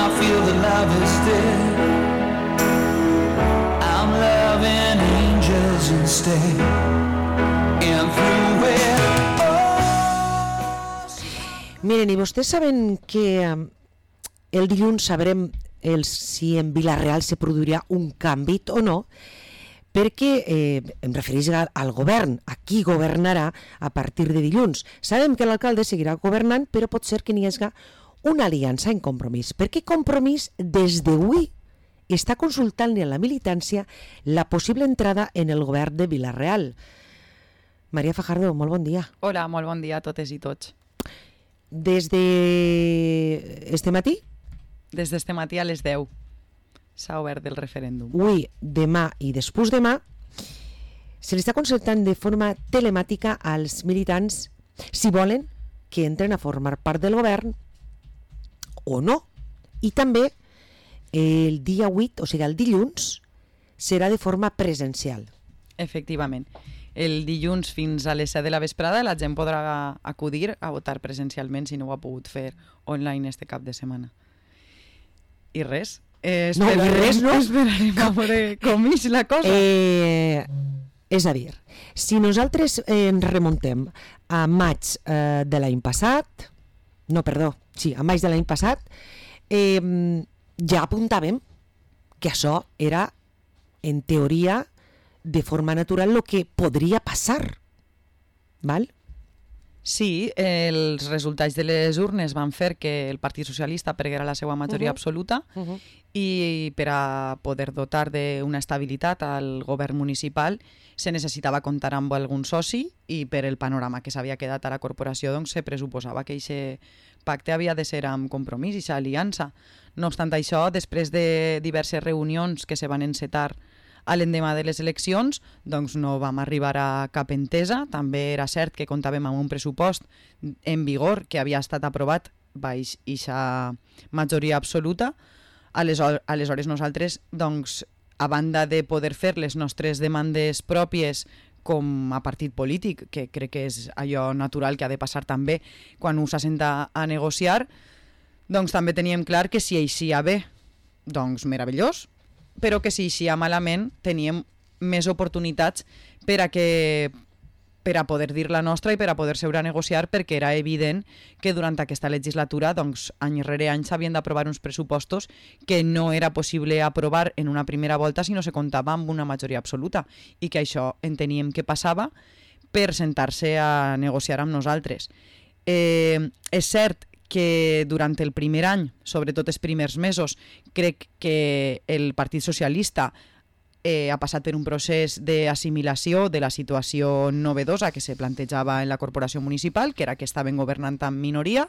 I feel that love is dead. I'm loving angels instead. And through it all. Miren, i vostès saben que el dilluns sabrem si en Vila-real se produirà un canvi o no, perquè em refereix al govern, a qui governarà a partir de dilluns. Sabem que l'alcalde seguirà governant, però pot ser que n'hi hagi una aliança en Compromís, perquè Compromís des d'avui està consultant a la militància la possible entrada en el govern de Vila-real. Maria Fajardo, molt bon dia. Hola, molt bon dia a totes i tots. Des d'este matí? Des d'este matí a les 10 s'ha obert el referèndum. Avui, demà i després demà se li està consultant de forma telemàtica als militants si volen que entren a formar part del govern o no. I també el dia 8, o sigui el dilluns, serà de forma presencial. Efectivament. El dilluns fins a les 7 de la vesprada la gent podrà acudir a votar presencialment si no ho ha pogut fer online este cap de setmana. I res. Esperarem a veure com és la cosa. És a dir, si nosaltres ens remuntem a maig de l'any passat, a maig de l'any passat, ja apuntàvem que això era, en teoria, de forma natural el que podria passar. Val? Sí, els resultats de les urnes van fer que el Partit Socialista perguera la seva majoria absoluta i per a poder dotar d'una estabilitat al govern municipal se necessitava comptar amb algun soci i per el panorama que s'havia quedat a la corporació doncs se pressuposava que aquest pacte havia de ser amb Compromís i aquesta aliança. No obstant això, després de diverses reunions que se van encetar a l'endemà de les eleccions, doncs no vam arribar a cap entesa. També era cert que comptàvem amb un pressupost en vigor que havia estat aprovat baix aquesta majoria absoluta. Aleshores nosaltres, doncs, a banda de poder fer les nostres demandes pròpies com a partit polític, que crec que és allò natural que ha de passar també quan us assenta a negociar, doncs també teníem clar que si eixia bé, doncs meravellós, però que si eixia malament teníem més oportunitats per a poder dir la nostra i per a poder seure a negociar, perquè era evident que durant aquesta legislatura, doncs, any rere any s'havien d'aprovar uns pressupostos que no era possible aprovar en una primera volta si no se comptava amb una majoria absoluta, i que això enteníem que passava per sentar-se a negociar amb nosaltres. És cert que durant el primer any, sobretot els primers mesos, crec que el Partit Socialista ha passat per un procés d'assimilació de la situació novedosa que se plantejava en la corporació municipal, que era que estaven governant en minoria.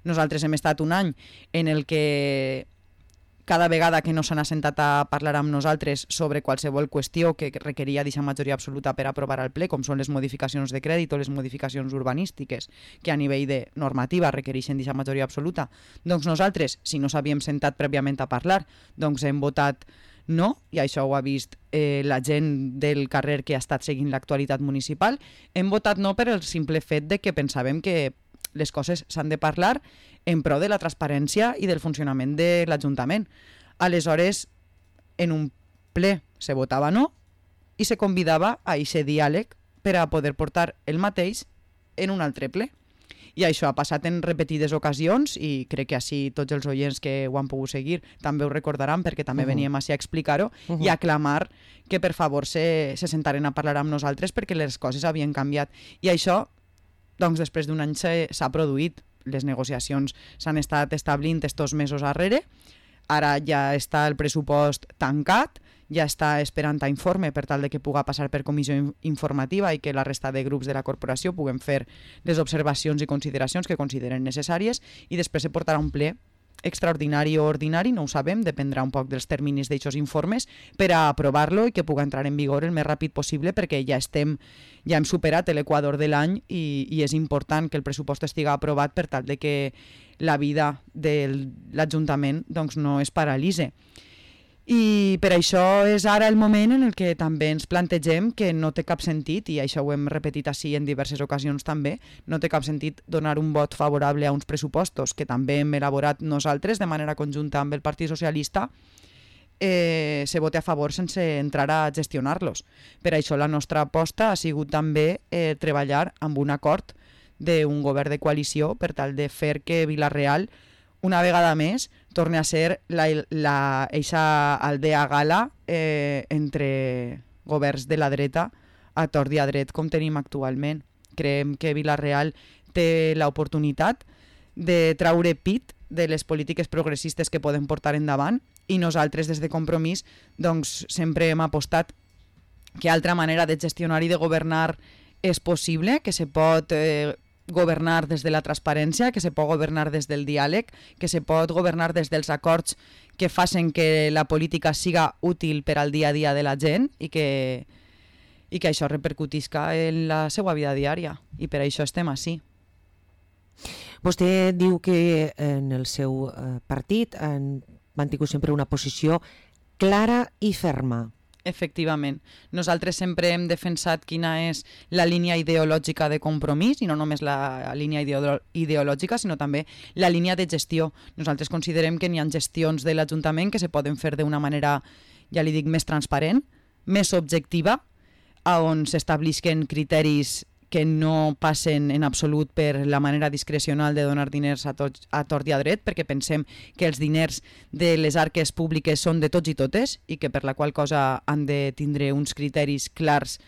Nosaltres hem estat un any en el que cada vegada que no s'han assentat a parlar amb nosaltres sobre qualsevol qüestió que requeria d'aquesta majoria absoluta per aprovar al ple, com són les modificacions de crèdit o les modificacions urbanístiques, que a nivell de normativa requereixen d'aquesta majoria absoluta, doncs nosaltres, si no s'havíem sentat prèviament a parlar, doncs hem votat no, i això ho ha vist la gent del carrer que ha estat seguint l'actualitat municipal. Hem votat no per el simple fet de que pensàvem que les coses s'han de parlar en pro de la transparència i del funcionament de l'Ajuntament. Aleshores, en un ple se votava no i se convidava a aquest diàleg per a poder portar el mateix en un altre ple. I això ha passat en repetides ocasions i crec que així tots els oients que ho han pogut seguir també ho recordaran, perquè també veníem així a explicar-ho i a clamar que per favor se sentaren a parlar amb nosaltres perquè les coses havien canviat. I això, doncs, després d'un any s'ha produït. Les negociacions s'han estat establint estos mesos darrere. Ara ja està el pressupost tancat, ja està esperant a informe per tal de que pugui passar per comissió informativa i que la resta de grups de la corporació puguem fer les observacions i consideracions que consideren necessàries, i després se portarà un ple extraordinari o ordinari, no ho sabem, dependrà un poc dels terminis d'aquests informes, per a aprovar-lo i que pugui entrar en vigor el més ràpid possible, perquè ja hem superat l'equador de l'any i és important que el pressupost estigui aprovat per tal de que la vida de l'Ajuntament doncs, no es paralitze. I per això és ara el moment en el que també ens plantegem que no té cap sentit, i això ho hem repetit així en diverses ocasions també, no té cap sentit donar un vot favorable a uns pressupostos que també hem elaborat nosaltres de manera conjunta amb el Partit Socialista, se vote a favor sense entrar a gestionar-los. Per això la nostra aposta ha sigut també treballar amb un acord d'un govern de coalició per tal de fer que Vila-real una vegada més torni a ser eixa aldea gala entre governs de la dreta a tort i a dret com tenim actualment. Creiem que Vila-real té l'oportunitat de traure pit de les polítiques progressistes que poden portar endavant, i nosaltres des de Compromís doncs, sempre hem apostat que altra manera de gestionar i de governar és possible, que se pot governar des de la transparència, que se pot governar des del diàleg, que se pot governar des dels acords que facin que la política siga útil per al dia a dia de la gent i que això repercutisca en la seva vida diària, i per això estem així. Vostè diu que en el seu partit han mantingut sempre una posició clara i ferma. Efectivament. Nosaltres sempre hem defensat quina és la línia ideològica de Compromís, i no només la línia ideològica, sinó també la línia de gestió. Nosaltres considerem que n'hi ha gestions de l'Ajuntament que se poden fer d'una manera, ja li dic, més transparent, més objectiva, on s'establisquen criteris que no passen en absolut per la manera discrecional de donar diners a tort i a dret, perquè pensem que els diners de les arques públiques són de tots i totes i que per la qual cosa han de tindre uns criteris clars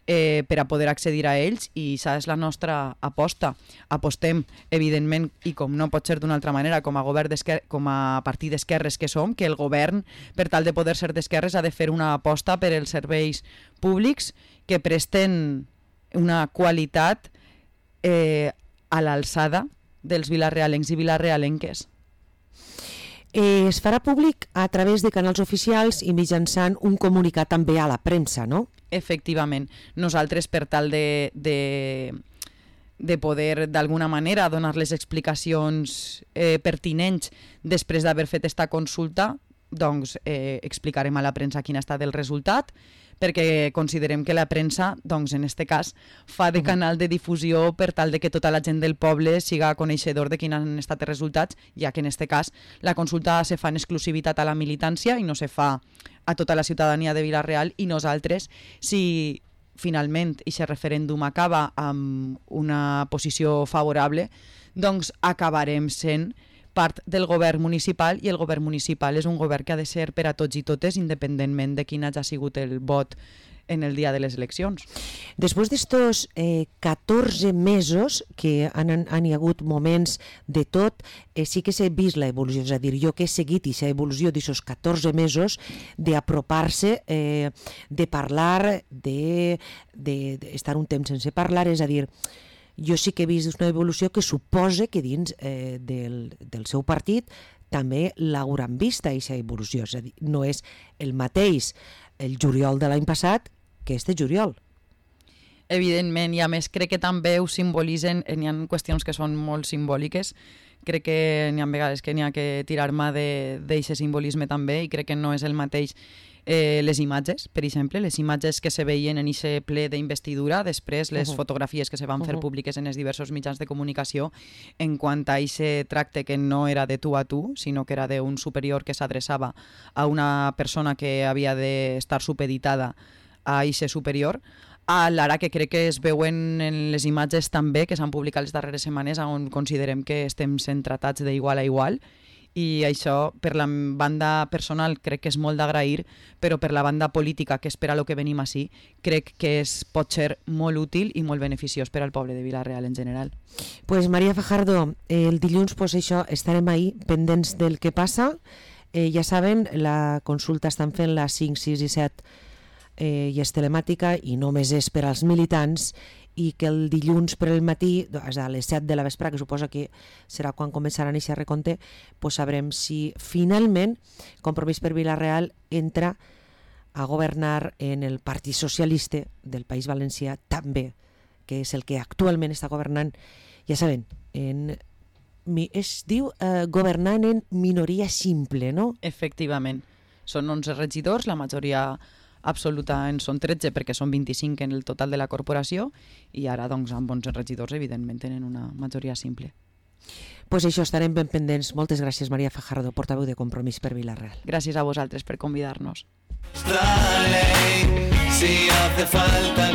per a poder accedir a ells, i això és la nostra aposta. Apostem, evidentment, i com no pot ser d'una altra manera, com a partit d'esquerres que som, que el govern, per tal de poder ser d'esquerres, ha de fer una aposta per als serveis públics que presten una qualitat a l'alçada dels vilarealencs i vilarealenques. Es farà públic a través de canals oficials i mitjançant un comunicat també a la premsa, no? Efectivament. Nosaltres, per tal de poder d'alguna manera donar les explicacions pertinents després d'haver fet esta consulta, doncs explicarem a la premsa quin ha estat el resultat, perquè considerem que la premsa, doncs, en aquest cas, fa de canal de difusió per tal de que tota la gent del poble siga coneixedor de quins han estat els resultats, ja que en aquest cas la consulta se fa en exclusivitat a la militància i no se fa a tota la ciutadania de Vila-real, i nosaltres, si finalment aquest referèndum acaba amb una posició favorable, doncs acabarem sent part del govern municipal, i el govern municipal és un govern que ha de ser per a tots i totes, independentment de quin hagi sigut el vot en el dia de les eleccions. Després d'estos 14 mesos que han hi hagut moments de tot, sí que s'ha vist l'evolució, és a dir, jo que he seguit aquesta evolució d'aquests 14 mesos d'apropar-se, de parlar, d'estar un temps sense parlar, és a dir, jo sí que he vist una evolució que suposa que dins del seu partit també l'hauran vist, aquesta evolució. És a dir, no és el mateix el juliol de l'any passat que este juliol. Evidentment, i a més crec que també ho simbolitzen, n'hi ha qüestions que són molt simbòliques, crec que n'hi ha vegades que n'hi ha que tirar mà d'aquest simbolisme també, i crec que no és el mateix les imatges, per exemple, les imatges que se veien en aquest ple d'investidura, després les fotografies que se van fer públiques en els diversos mitjans de comunicació en quant a aquest tracte que no era de tu a tu, sinó que era d'un superior que s'adreçava a una persona que havia d'estar supeditada a aquest superior, a l'ara que crec que es veuen en les imatges també que s'han publicat les darreres setmanes, on considerem que estem sent tratats d'igual a igual, i això per la banda personal crec que és molt d'agrair, però per la banda política, que és per a lo que venim així, crec que pot ser molt útil i molt beneficiós per al poble de Vila-real en general. Pues María Fajardo, el dilluns pues això, estarem ahí pendents del que passa. Ja saben, la consulta estan fent la 5, 6 i 7 i és telemàtica i només és per als militants, i que el dilluns per el matí, a les 7 de la vespre, que suposa que serà quan començaran aquest recompte, pues sabrem si finalment Compromís per Vila-real entra a governar en el Partit Socialista del País Valencià també, que és el que actualment està governant, ja saben, es diu governant en minoria simple, no? Efectivament. Són 11 regidors, la majoria absoluta en són 13 perquè són 25 en el total de la corporació i ara doncs, amb 11 regidors evidentment tenen una majoria simple. Pues això, estarem ben pendents. Moltes gràcies, Maria Fajardo, portaveu de Compromís per Vila-real. Gràcies a vosaltres per convidar-nos. Si hace falta